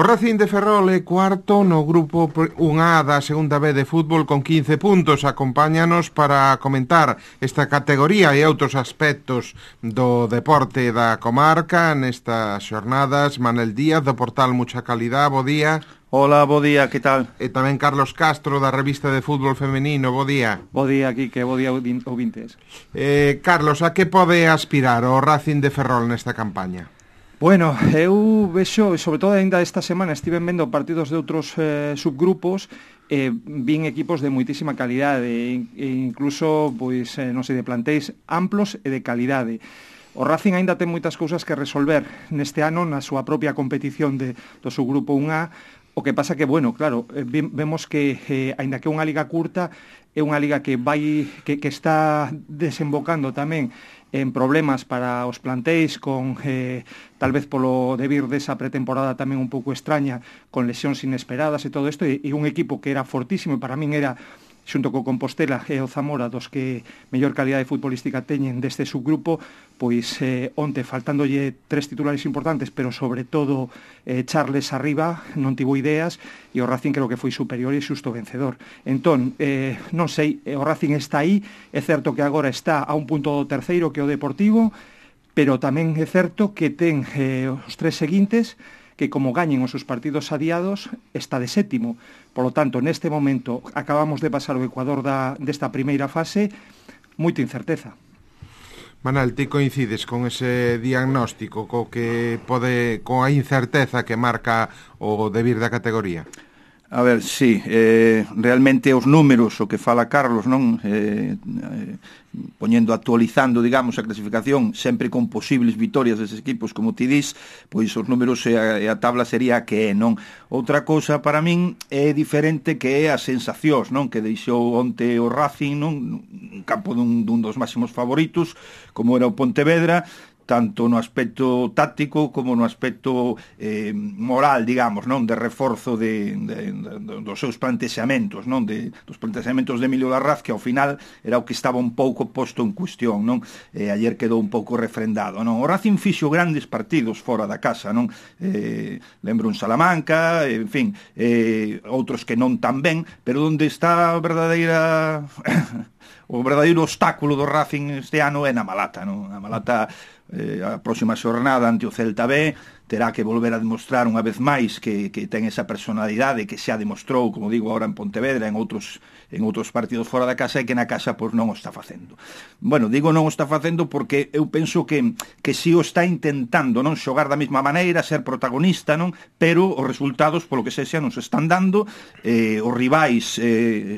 O Racing de Ferrol é cuarto no grupo 1A da segunda B de fútbol con 15 puntos. Acompáñanos para comentar esta categoría e outros aspectos do deporte da comarca nestas xornadas. Manel Díaz, do portal Mucha Calidad, bo día. Hola, bo día, que tal? E tamén Carlos Castro, da revista de fútbol femenino, bo día. Bo día, Quique, bo día, ouvintes. Carlos, a que pode aspirar o Racing de Ferrol nesta campaña? Bueno, eu vexo, sobre todo ainda esta semana, estiven vendo partidos de outros subgrupos, vin equipos de moitísima calidade, e incluso, pois, non sei, de plantéis amplos e de calidade. O Racing aínda ten moitas cousas que resolver neste ano na súa propia competición do subgrupo 1A, o que pasa que, bueno, claro, vemos que, aínda que é unha liga curta, é unha liga que está desembocando tamén en problemas para os plantéis con, tal vez polo debir desa pretemporada tamén un pouco extraña, con lesións inesperadas e todo isto, e un equipo que era fortísimo, e para min era, xunto co Compostela e o Zamora, dos que mellor calidade futbolística teñen deste subgrupo, pois onte, faltándolle 3 titulares importantes, pero sobre todo Charles arriba, non tivo ideas, e o Racing creo que foi superior e xusto vencedor. Entón, non sei, o Racing está aí, é certo que agora está a un punto do terceiro, que é o Deportivo, pero tamén é certo que ten os 3 seguintes, que como gañen os seus partidos adiados, está de sétimo. Por lo tanto, neste momento, acabamos de pasar o Ecuador desta primeira fase, moita incerteza. Manel, ti coincides con ese diagnóstico coa incerteza que marca o debir da categoría? A ver, sí, realmente os números, o que fala Carlos, non? Actualizando, digamos, a clasificación, sempre con posibles vitorias deses equipos, como ti dis, pois os números e a tabla sería que é, non? Outra cousa para min é diferente, que é as sensacións, non? Que deixou onte o Racing, non? Un campo dun dos máximos favoritos, como era o Pontevedra, tanto no aspecto táctico como no aspecto moral, digamos, non, de reforzo dos seus plantexamentos, non, dos plantexamentos de Emilio Larraz, que ao final era o que estaba un pouco posto en cuestión, non? Ayer quedou un pouco refrendado, non? O Racing fixo grandes partidos fora da casa, non? Lembro un Salamanca, en fin, outros que non tan ben, pero onde está a verdadeira o verdadeiro obstáculo do Racing este ano é na Malata, non? A Malata, a próxima xornada ante o Celta B, terá que volver a demostrar unha vez máis que ten esa personalidade que xa demostrou, como digo, agora en Pontevedra, en outros partidos fora da casa, e que na casa pois non o está facendo. Bueno, digo non o está facendo porque eu penso que si o está intentando, non, xogar da mesma maneira, ser protagonista, non, pero os resultados, polo que sexa, non se están dando. Os rivais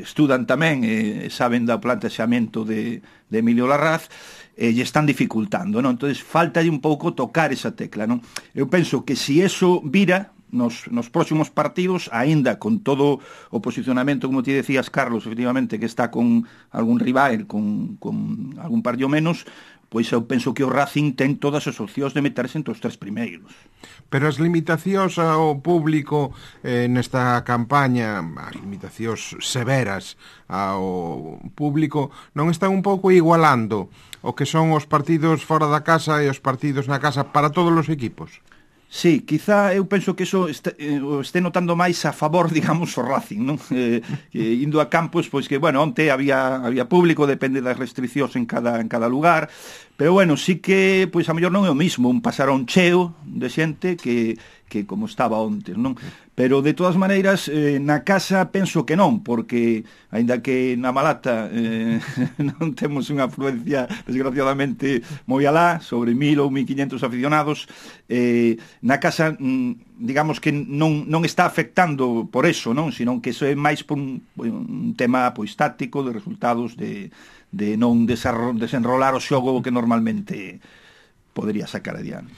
estudan tamén, saben do plantexamento de Emilio Larraz, lle están dificultando, non? Entonces, faltalle un pouco tocar esa tecla, non? Eu penso que se eso vira nos próximos partidos, aínda con todo o posicionamento, como ti decías, Carlos, efectivamente, que está con algún rival, con algún partido menos, pois eu penso que o Racing ten todas as opcións de meterse entre os 3 primeiros. Pero as limitacións ao público nesta campaña, as limitacións severas ao público, non están un pouco igualando o que son os partidos fora da casa e os partidos na casa para todos os equipos? Sí, quizá eu penso que iso este notando máis a favor, digamos, o Racing, non? Indo a campos, pois que, bueno, onte había público, depende das restriccións en cada lugar, pero, bueno, sí que, pois, a mellor non é o mismo un pasarón cheo de xente que como estaba onte, non? Pero, de todas maneiras, na casa penso que non, porque, aínda que na Malata non temos unha afluencia, desgraciadamente, moi alá, sobre 1.000 ou 1.500 aficionados, na casa, digamos que non está afectando por eso, non? Sino que iso é máis por un tema, pois, táctico, de resultados de non desenrolar o xogo que normalmente podería sacar adiante.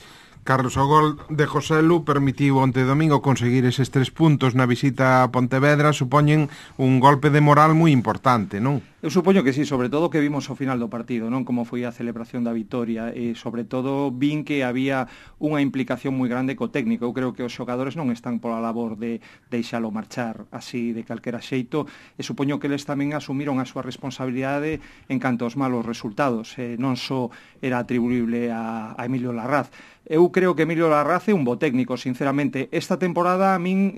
Carlos, o gol de Joselu permitiu onte domingo conseguir eses 3 puntos na visita a Pontevedra, supoñen un golpe de moral moi importante, non? Eu supoño que sí, sobre todo que vimos ao final do partido, non como foi a celebración da vitoria, e sobre todo vin que había unha implicación moi grande co técnico. Eu creo que os xogadores non están pola labor de deixalo marchar así de calquera xeito, e supoño que eles tamén asumiron a súa responsabilidade en canto aos malos resultados, non só era atribuible a Emilio Larraz. Eu creo que Emilio Larraz é un bo técnico, sinceramente. Esta temporada a min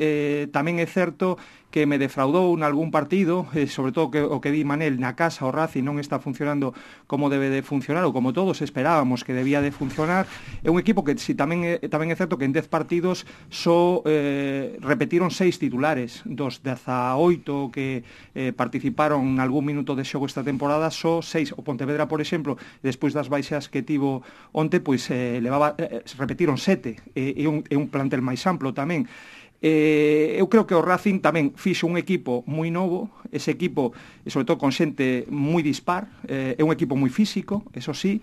tamén é certo que me defraudou en algún partido, sobre todo o que di Manel na casa, o Racing non está funcionando como debe de funcionar, ou como todos esperábamos que debía de funcionar. É un equipo que si tamén é certo que en 10 partidos só repetiron 6 titulares, dos 18 que participaron en algún minuto de xogo esta temporada, só 6. O Pontevedra, por exemplo, despois das baixas que tivo onte, pois repetiron 7, é un plantel máis amplo tamén. Eu creo que o Racing tamén fixo un equipo moi novo, ese equipo, sobre todo con xente moi dispar, é un equipo moi físico, eso sí,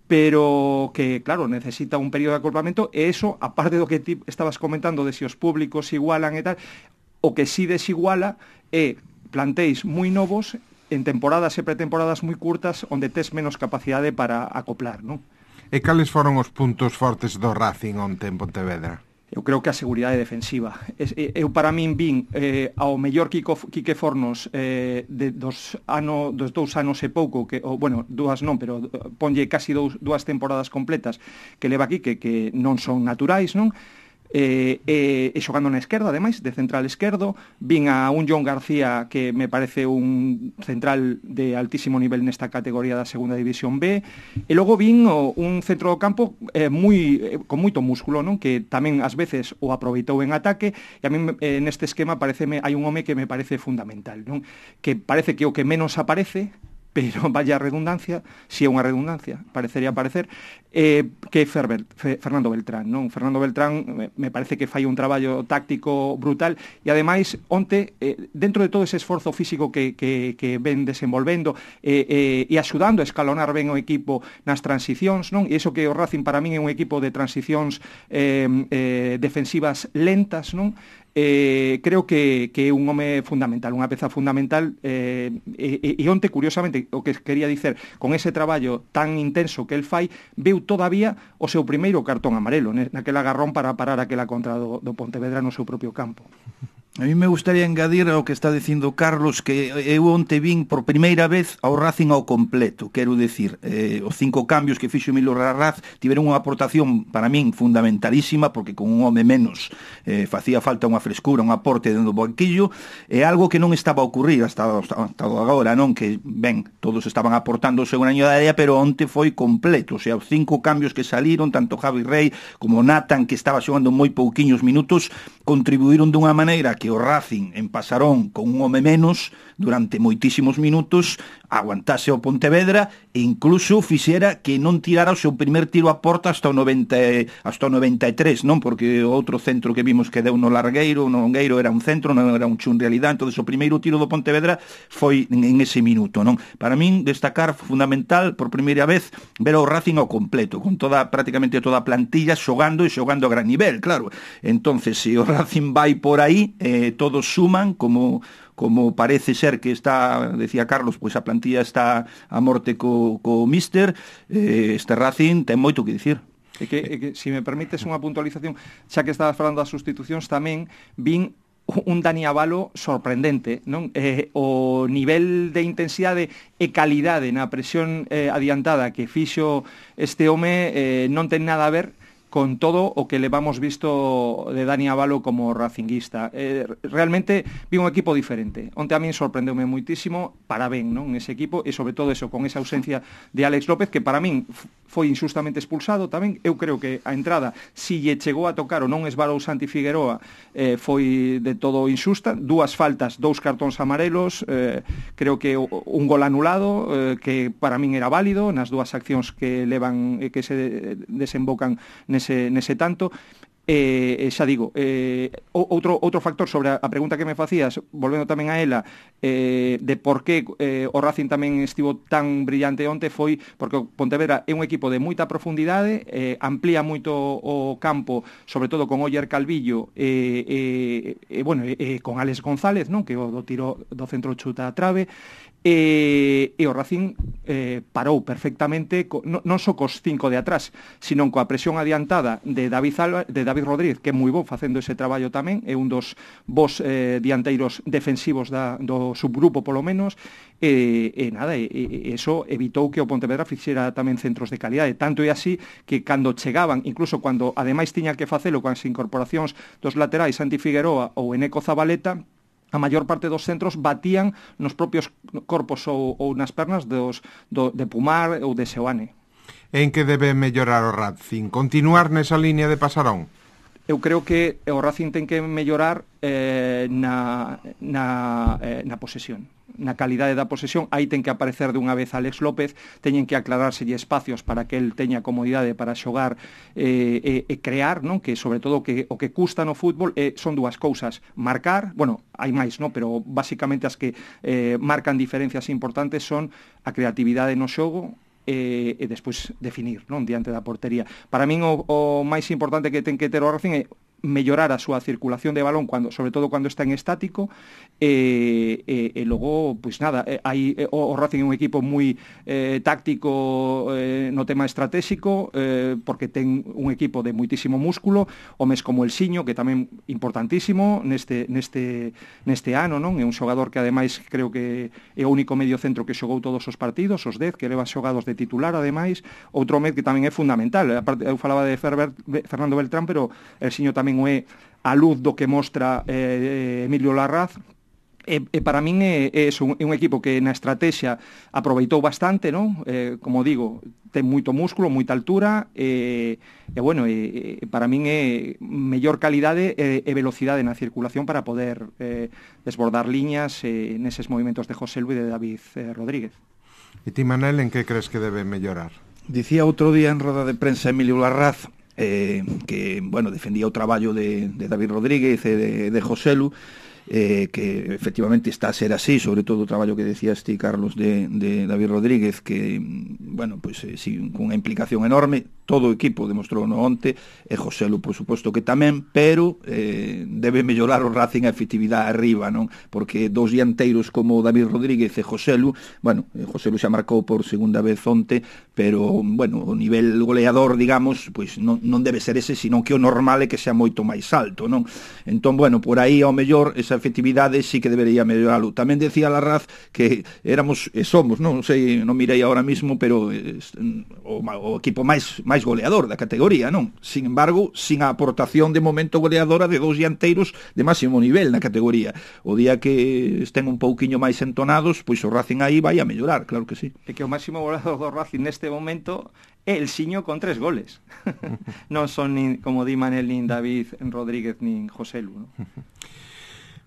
pero que, claro, necesita un período de acoplamiento, e eso, aparte do que ti estabas comentando de si os públicos igualan e tal, o que sí desiguala é plantéis moi novos en temporadas e pretemporadas moi curtas onde tes menos capacidade para acoplar, non? E cales foron os puntos fortes do Racing onte en Pontevedra? Eu creo que a seguridade defensiva. Eu para min vin ao mellor Quique Fornos dos 2 anos e pouco, dúas non, pero ponlle casi dúas temporadas completas que leva aquí, que non son naturais, non? E xogando na esquerda, ademais, de central esquerdo. Vin a un John García que me parece un central de altísimo nivel nesta categoría da segunda división B, e logo vin un centro do campo con moito músculo, non? Que tamén ás veces o aproveitou en ataque, e a mí neste esquema hai un home que me parece fundamental, non? Que parece que o que menos aparece, pero vaya redundancia, si é unha redundancia, parecería parecer, que é Fernando Beltrán, non? Fernando Beltrán me parece que fai un traballo táctico brutal, e ademais onte, dentro de todo ese esforzo físico que ven desenvolvendo e axudando a escalonar ben o equipo nas transicións, non? E iso que o Racing para min é un equipo de transicións defensivas lentas, non? Creo que é un home fundamental, unha peza fundamental, e onte, curiosamente, o que quería dicer, con ese traballo tan intenso que el fai, veu todavía o seu primeiro cartón amarelo, naquele agarrón para parar aquela contra do Pontevedra no seu propio campo. A mí me gustaría engadir ao que está dicindo Carlos, que eu onte vin por primeira vez ao Racing ao completo. Quero decir, os 5 cambios que fixo Emilio Larraz tiveron unha aportación para min fundamentalísima, porque con un home menos facía falta unha frescura, un aporte dentro do banquillo, e algo que non estaba a ocurrir hasta agora, non? Que, ben, todos estaban aportando o seu graño de área, pero onte foi completo. O sea, os 5 cambios que saliron, tanto Javi Rey como Nathan, que estaba xogando moi pouquiños minutos, contribuíron dunha maneira que o Racing en Pasarón con un home menos durante moitísimos minutos aguantase o Pontevedra e incluso fixera que non tirara o seu primer tiro a porta hasta o 93, non? Porque o outro centro que vimos que deu no Longueiro era un centro, non era un chun realidad. Entonces o primeiro tiro do Pontevedra foi en ese minuto, non? Para min destacar fundamental por primeira vez ver o Racing ao completo, con prácticamente toda a plantilla xogando a gran nivel, claro. Entonces, se o Racing vai por aí, todos suman, como parece ser que está, decía Carlos, pois a plantilla está a morte co míster, este Racing ten moito que dicir. E que, se me permites unha puntualización, xa que estabas falando das sustitucións, tamén vin un Dani Abalo sorprendente, non? O nivel de intensidade e calidade na presión adiantada que fixo este home non ten nada a ver con todo o que le vamos visto de Dani Abalo como racinguista. Realmente vi un equipo diferente. Onte a min sorprendeume muitísimo, para ben, non? Ese equipo, e sobre todo eso, con esa ausencia de Alex López, que para min foi injustamente expulsado tamén. Eu creo que a entrada, si lle chegou a tocar ou non esbarou Santi Figueroa, foi de todo injusta. 2 faltas, 2 cartóns amarelos, creo que un gol anulado, que para min era válido, nas 2 accións que levan, que se desembocan nese tanto. xa digo, outro factor sobre a pregunta que me facías, volvendo tamén a ela, de por que o Racing tamén estivo tan brillante onte, foi porque o Pontevedra é un equipo de moita profundidade, amplía moito o campo, sobre todo con Oller Calvillo con Alex González, non, que o do tiro do centro chuta a trave, e o Racing parou perfectamente non só cos 5 de atrás, sino coa presión adiantada de David Rodríguez, que é moi bo facendo ese traballo tamén, é un dos bons dianteiros defensivos do subgrupo polo menos, e eso evitou que o Pontevedra fixera tamén centros de calidade, tanto é así que cando chegaban, incluso cando ademais tiña que facelo con as incorporacións dos laterais Santi Figueroa ou Eneco Zabaleta, a maior parte dos centros batían nos propios corpos ou nas pernas de Pumar ou de Seoane. En que debe mellorar o Racing? Continuar nesa línea de Pasarón? Eu creo que o Racing ten que mellorar na posesión, na calidade da posesión. Aí ten que aparecer de unha vez Alex López, teñen que aclarárselle espacios para que el teña comodidade para xogar e crear, non? Que sobre todo o que custa no fútbol son dúas cousas: marcar, bueno, hai máis, non? Pero basicamente as que marcan diferencias importantes son a creatividade no xogo e despois definir, non, diante da portería. Para min o máis importante que ten que ter o Racing é mellorar a súa circulación de balón, sobre todo cando está en estático, e logo, pois nada, o Racing é un equipo moi táctico no tema estratégico, porque ten un equipo de moitísimo músculo, homes como el Xiño, que tamén importantísimo neste ano, non? É un xogador que ademais creo que é o único medio centro que xogou todos os partidos, os 10 que leva xogados de titular, ademais, outro med que tamén é fundamental. Aparte, eu falaba de Fernando Beltrán, pero el Xiño tamén o é a luz do que mostra Emilio Larraz. E para min é un equipo que na estrategia aproveitou bastante, non? Como digo, ten moito músculo, moita altura, para min é mellor calidade e velocidade na circulación para poder desbordar liñas neses movimentos de José Luis e de David Rodríguez. E ti, Manel, en que crees que debe mellorar? Dicía outro día en roda de prensa Emilio Larraz que, bueno, defendía o traballo de David Rodríguez e de Joselu, que efectivamente está a ser así, sobre todo o traballo que decías ti, Carlos, de David Rodríguez, que, bueno, pues sí, con unha implicación enorme, todo o equipo demostrou no onte, e Joselu, por suposto que tamén, pero debe mellorar o Racing a efectividade arriba, non? Porque dos dianteiros como David Rodríguez e Joselu, bueno, Joselu xa marcou por segunda vez onte, pero, bueno, o nivel goleador, digamos, pues non debe ser ese, sino que o normal é que sea moito máis alto, non? Entón, bueno, por aí ao mellor esa efectividade sí que debería melloralo. Tamén decía Larraz que éramos e somos, non sei, non mirei ahora mismo, pero o equipo máis goleador da categoría, non? Sin embargo, sin a aportación de momento goleadora de dos dianteiros de máximo nivel na categoría. O día que estén un pouquiño máis entonados, pois o Racing aí vai a mellorar, claro que sí. É que o máximo goleador do Racing neste momento é el Xiño con 3 goles. Non son, como di Manel, nin David Rodríguez, nin José Lu, non?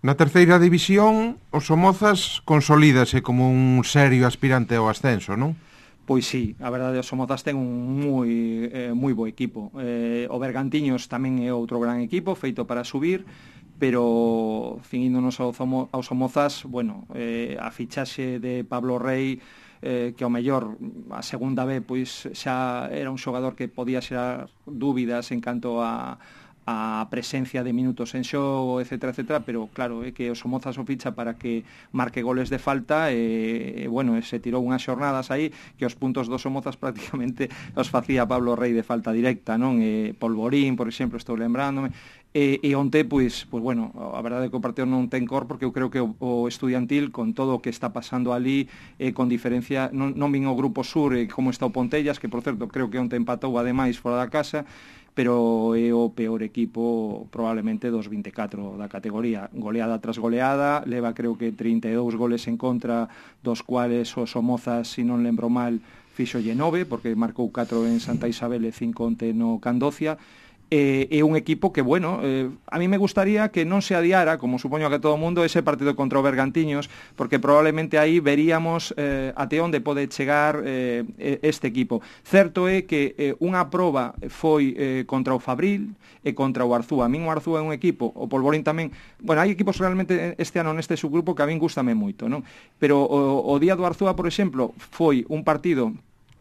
Na terceira división, os Somozas consolídase como un serio aspirante ao ascenso, non? Pois sí, a verdade, os Somozas ten un moi bo equipo. O Bergantiños tamén é outro gran equipo, feito para subir, pero finíndonos aos Somozas, bueno, a fichaxe de Pablo Rey, que ao mellor a segunda vez pois xa era un xogador que podía xerar dúbidas en canto a presencia de minutos en xogo, etcétera, etcétera, pero claro, é que o Somozas o ficha para que marque goles de falta e bueno, se tirou unhas xornadas aí que os puntos dos Somozas prácticamente os facía Pablo Rey de falta directa, non? Polvorín, por exemplo, estou lembrándome. E onte, pois bueno, a verdade é que o partido non ten cor, porque eu creo que o Estudiantil, con todo o que está pasando ali, con diferencia, non vin o Grupo Sur como está o Pontellas, que por certo creo que onte empatou ademais fora da casa, pero é o peor equipo probablemente dos 24 da categoría, goleada tras goleada, leva creo que 32 goles en contra, dos cuales o Somozas, se non lembro mal, fixolle 9, porque marcou 4 en Santa Isabel e 5 onte no Candocia, é un equipo que, bueno, a mí me gustaría que non se adiara, como supoño que todo o mundo, ese partido contra o Bergantiños, porque probablemente aí veríamos até onde pode chegar este equipo. Certo é que unha proba foi contra o Fabril e contra o Arzúa. A min o Arzúa é un equipo, o Polvorín tamén, bueno, hai equipos realmente este ano neste subgrupo que a min gústame moito, non? Pero o día do Arzúa, por exemplo, foi un partido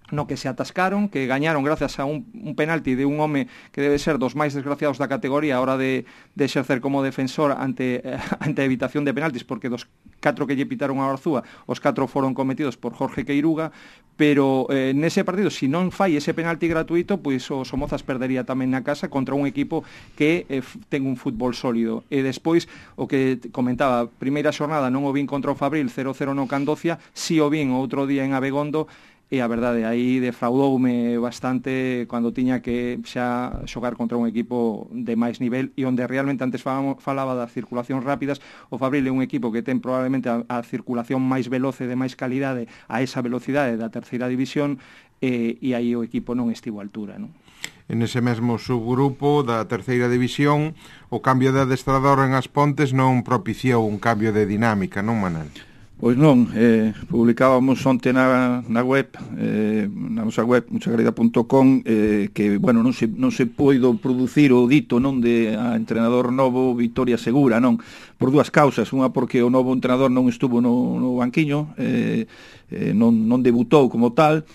no que se atascaron, que gañaron gracias a un penalti de un home que debe ser dos máis desgraciados da categoría a hora de exercer como defensor ante a evitación de penaltis, porque dos 4 que lle pitaron a Arzúa, os 4 foron cometidos por Jorge Queiruga, pero nese partido, se non fai ese penalti gratuito, pois o Somozas perdería tamén na casa contra un equipo que ten un fútbol sólido. E despois, o que comentaba, primeira xornada non o vin contra o Fabril, 0-0 no Candocia, si o vin outro día en Abegondo, e a verdade, aí defraudoume bastante cando tiña que xa xogar contra un equipo de máis nivel e onde realmente antes falaba das circulacións rápidas. O Fabril é un equipo que ten probablemente a circulación máis veloce, de máis calidade, a esa velocidade da terceira división, e aí o equipo non estivo a altura, non? En ese mesmo subgrupo da terceira división, o cambio de adestrador en As Pontes non propiciou un cambio de dinámica, non, Manel? Pois non, publicábamos onte na web, na nosa web, muchagrida.com, que, bueno, non se poido producir o dito, non, de a entrenador novo Vitoria Segura, non, por dúas causas. Unha porque o novo entrenador non estuvo no banquiño, non debutou como tal,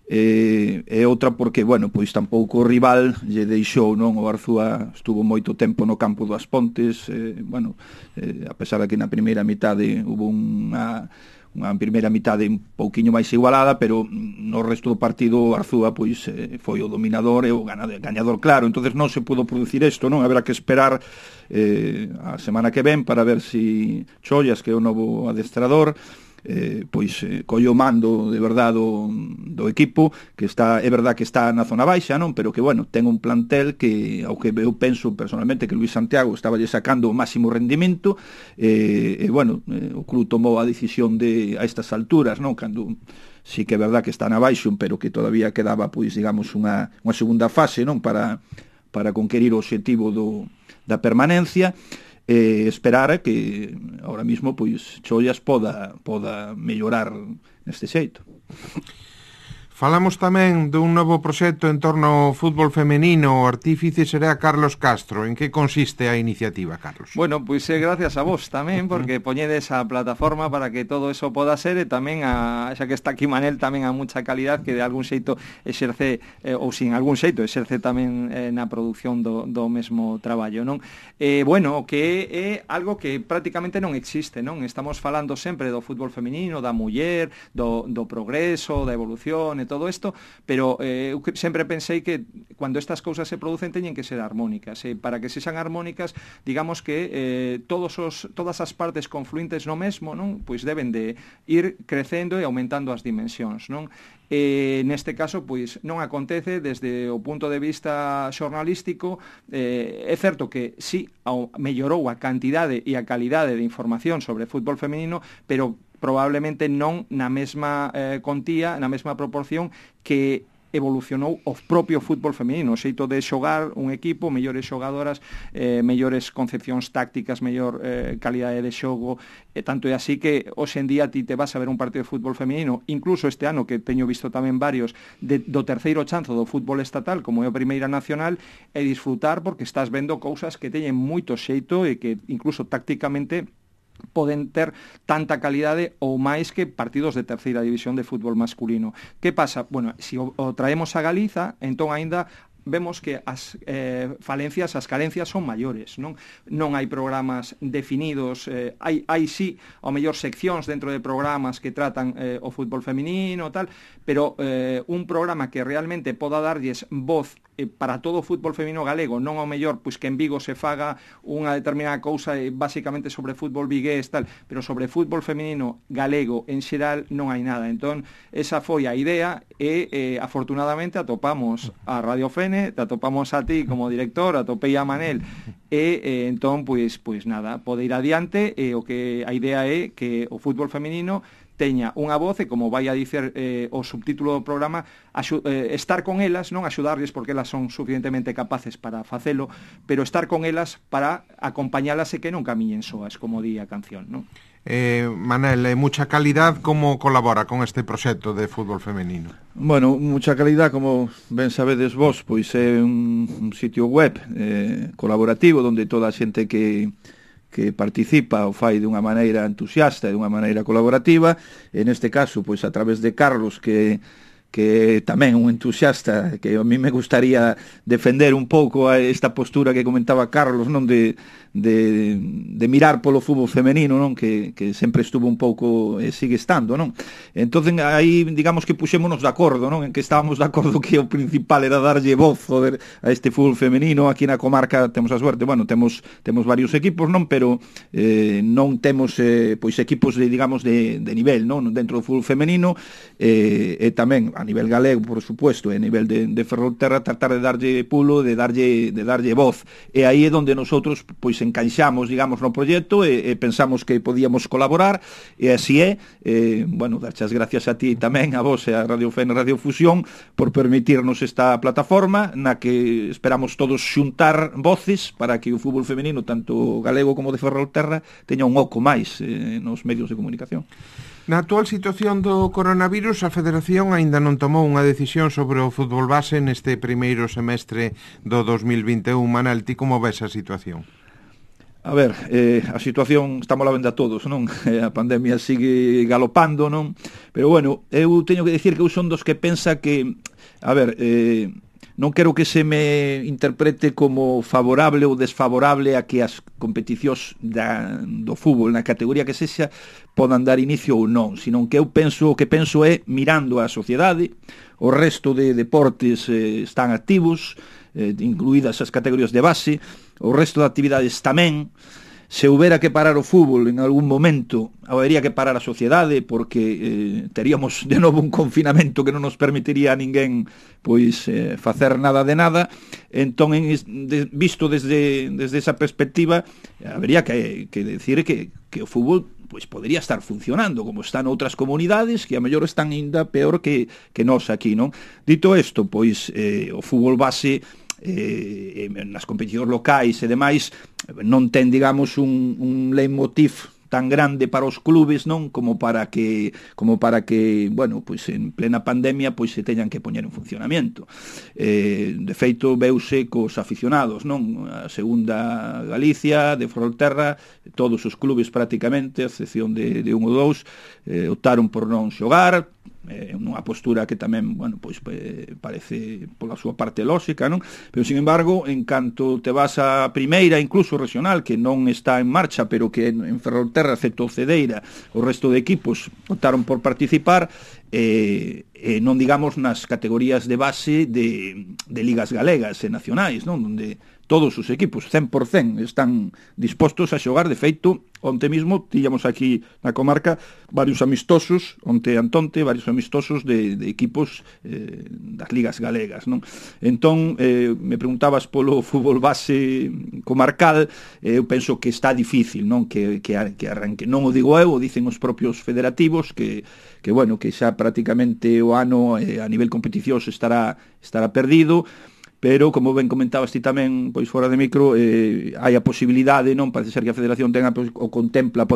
e outra porque, bueno, pois tampouco o rival lle deixou, non? O Arzúa estuvo moito tempo no campo do As Pontes, bueno, a pesar de que na primeira mitade hubo unha primeira mitade un pouquiño máis igualada, pero no resto do partido o Arzúa pois foi o dominador e o gañador claro. Entonces non se pudo producir isto, non? Haberá que esperar a semana que ven para ver si Chollas, que é o novo adestrador, colle o mando de verdade do equipo, que está, é verdad que está na zona baixa, non, pero que, bueno, ten un plantel que, ao que eu penso personalmente que Luis Santiago estaba lle sacando o máximo rendimento, bueno, o club tomou a decisión a estas alturas, non, cando sí que é verdad que está na baixo, pero que todavía quedaba, pois, digamos, unha segunda fase, non, para conquerir o obxectivo da permanencia. Esperar a que ahora mismo pois Chollas poda mellorar neste xeito. Falamos tamén dun novo proxecto en torno ao fútbol femenino. O artífice será Carlos Castro. En que consiste a iniciativa, Carlos? Bueno, pois gracias a vos tamén, porque poñedes a plataforma para que todo eso poda ser, e tamén xa que está aquí Manel, tamén a mucha calidad que de algún xeito exerce, ou sin algún xeito exerce tamén na produción do mesmo traballo, non? Bueno, que é algo que prácticamente non existe, non? Estamos falando sempre do fútbol femenino, da muller, do progreso, da evolución e todo isto, pero eu sempre pensei que cando estas cousas se producen teñen que ser armónicas, e para que sexan armónicas, digamos que todas as partes confluentes no mesmo, non? Pois deben de ir crecendo e aumentando as dimensións, non? Neste caso, pois, non acontece desde o punto de vista xornalístico. É certo que sí, mellorou a cantidade e a calidade de información sobre fútbol femenino, pero probablemente non na mesma contía, na mesma proporción que evolucionou o propio fútbol femenino, o xeito de xogar un equipo, mellores xogadoras, mellores concepcións tácticas, mellor calidade de xogo, tanto é así que hoxe en día ti te vas a ver un partido de fútbol femenino, incluso este ano que teño visto tamén varios do terceiro chanzo do fútbol estatal, como é a Primeira Nacional, e disfrutar porque estás vendo cousas que teñen moito xeito e que incluso tácticamente poden ter tanta calidade ou máis que partidos de terceira división de fútbol masculino. Que pasa? Bueno, se o traemos a Galiza, entón aínda vemos que as falencias, as carencias son maiores, non hai programas definidos, hai sí, ao mellor seccións dentro de programas que tratan o fútbol feminino, tal, pero un programa que realmente poda darlles voz para todo o fútbol feminino galego, non ao mellor pois que en Vigo se faga unha determinada cousa basicamente sobre fútbol vigués, tal, pero sobre fútbol feminino galego en xeral non hai nada. Entón, esa foi a idea e afortunadamente atopamos a Radio Fene, te atopamos a ti como director, atopei a Manel e entón, pois nada, pode ir adiante, e o que a idea é que o fútbol feminino teña unha voz e, como vai a dicer o subtítulo do programa, estar con elas, non axudarles porque elas son suficientemente capaces para facelo, pero estar con elas para acompañalas e que non camiñen soas, como di a canción, non? Manel, mucha calidad, como colabora con este proxecto de fútbol femenino? Bueno, mucha calidad, como ben sabedes vos, pois é un sitio web colaborativo onde toda a xente que participa o fai de unha maneira entusiasta e de unha maneira colaborativa, e neste caso, pois a través de Carlos, que tamén un entusiasta, que a mí me gustaría defender un pouco a esta postura que comentaba Carlos, non de mirar polo fútbol femenino, non, que sempre estuvo un pouco e sigue estando, non. Entonces aí digamos que puxémonos de acordo, non, en que estábamos de acordo que o principal era darlle voz, joder, a este fútbol femenino. Aquí na comarca temos a suerte, bueno, temos varios equipos, non, pero non temos pois equipos de, digamos, de nivel, non, dentro do fútbol femenino, e tamén a nivel galego, por supuesto, e a nivel de Ferrolterra, tratar de darlle pulo, de darlle voz. E aí é onde nosotros pois encaixamos, digamos, no proxecto e pensamos que podíamos colaborar, e así é. Bueno, darche as gracias a ti tamén, a vos e a Radio FEN e Radio Fusión, por permitirnos esta plataforma na que esperamos todos xuntar voces para que o fútbol femenino, tanto galego como de Ferrolterra, teña un oco máis nos medios de comunicación. Na actual situación do coronavirus, a Federación aínda non tomou unha decisión sobre o fútbol base neste primeiro semestre do 2021. Manel, ti como ves a situación? A ver, a situación estamos a venda todos, non? A pandemia sigue galopando, non? Pero bueno, eu teño que decir que eu son dos que pensa que, a ver, non quero que se me interprete como favorable ou desfavorable a que as competicións do fútbol na categoría que sexa podan dar inicio ou non, senón que o que penso é, mirando a sociedade, o resto de deportes están activos, incluídas as categorías de base, o resto de actividades tamén. Se houbera que parar o fútbol en algún momento, habería que parar a sociedade, porque teríamos de novo un confinamento que non nos permitiría a ninguén pois facer nada de nada. Entón, visto desde esa perspectiva, habería que decir que o fútbol pois podería estar funcionando como está noutras comunidades que a mellor están ainda peor que nós aquí, non? Dito isto, pois o fútbol base nas competicións locais e demais non ten, digamos, un leitmotiv tan grande para os clubes, non, como para que, bueno, pois en plena pandemia pois se teñan que poñer en funcionamento. De feito, veuse cos aficionados, non? A segunda Galicia, de Ferrolterra, todos os clubes prácticamente, a excepción de un ou dous, optaron por non xogar, unha postura que tamén, bueno, pois parece pola súa parte lóxica, non? Pero, sin embargo, en canto te vas a primeira, incluso regional, que non está en marcha, pero que en Ferrolterra, excepto Cedeira, o resto de equipos optaron por participar, non digamos nas categorías de base de ligas galegas e nacionais, non? Onde todos os equipos, 100%, están dispostos a xogar. De feito, onte mismo tíamos aquí na comarca varios amistosos, onte antonte, varios amistosos de equipos das ligas galegas, non? Entón, me preguntabas polo fútbol base comarcal, eu penso que está difícil, non? Que arranque. Non o digo eu, o dicen os propios federativos, que bueno, que xa prácticamente o ano a nivel competicións estará perdido. Pero, como ben comentabas ti tamén, pois fora de micro, hai a posibilidade, non, parece ser que a Federación pode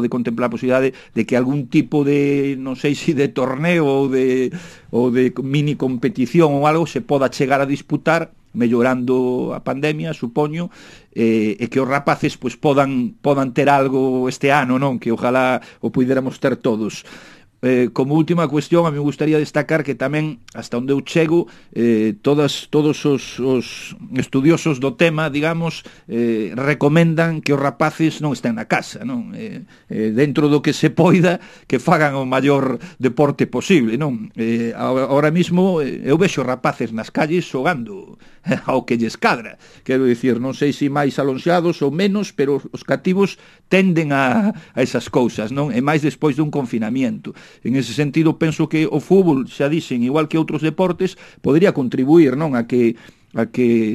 contemplar a posibilidade de que algún tipo de, non sei se de torneo ou de mini competición ou algo se poda chegar a disputar, mellorando a pandemia, supoño, e que os rapaces pois podan ter algo este ano, non, que ojalá o puidéramos ter todos. Como última cuestión, a mí me gustaría destacar que tamén, hasta onde eu chego, todos os estudiosos do tema, digamos, recomendan que os rapaces non estén na casa, non? Dentro do que se poida, que fagan o maior deporte posible, non? Ahora mismo eu vexo rapaces nas calles xogando ao que lles cadra. Quero dicir, non sei se máis alonxados ou menos, pero os cativos tenden a esas cousas, non? E máis despois dun confinamento. En ese sentido, penso que o fútbol, xa dixen, igual que outros deportes, podría contribuir, non, a que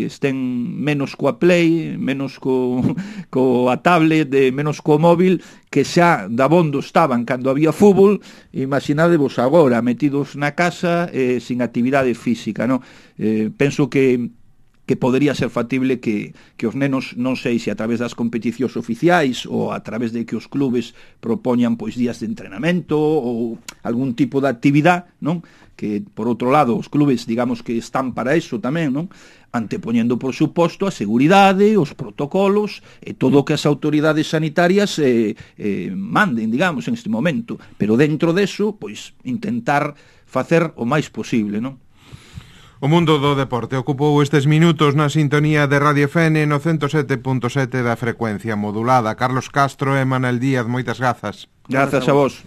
estén menos coa Play, menos coa tablet, menos co móvil, que xa dabondo estaban cando había fútbol. Imaginadevos agora metidos na casa sin actividade física, non? Penso que podería ser factible que os nenos, non sei se a través das competicións oficiais ou a través de que os clubes propoñan pois días de entrenamento ou algún tipo de actividade, non? Que, por outro lado, os clubes, digamos que están para eso tamén, non? Antepoñendo, por suposto, a seguridade, os protocolos e todo o que as autoridades sanitarias manden, digamos, en este momento. Pero dentro deso, pois, intentar facer o máis posible, non? O mundo do deporte ocupou estes minutos na sintonía de Radio FN no 107.7 da frecuencia modulada. Carlos Castro e Manel Díaz, moitas grazas. Grazas a vos.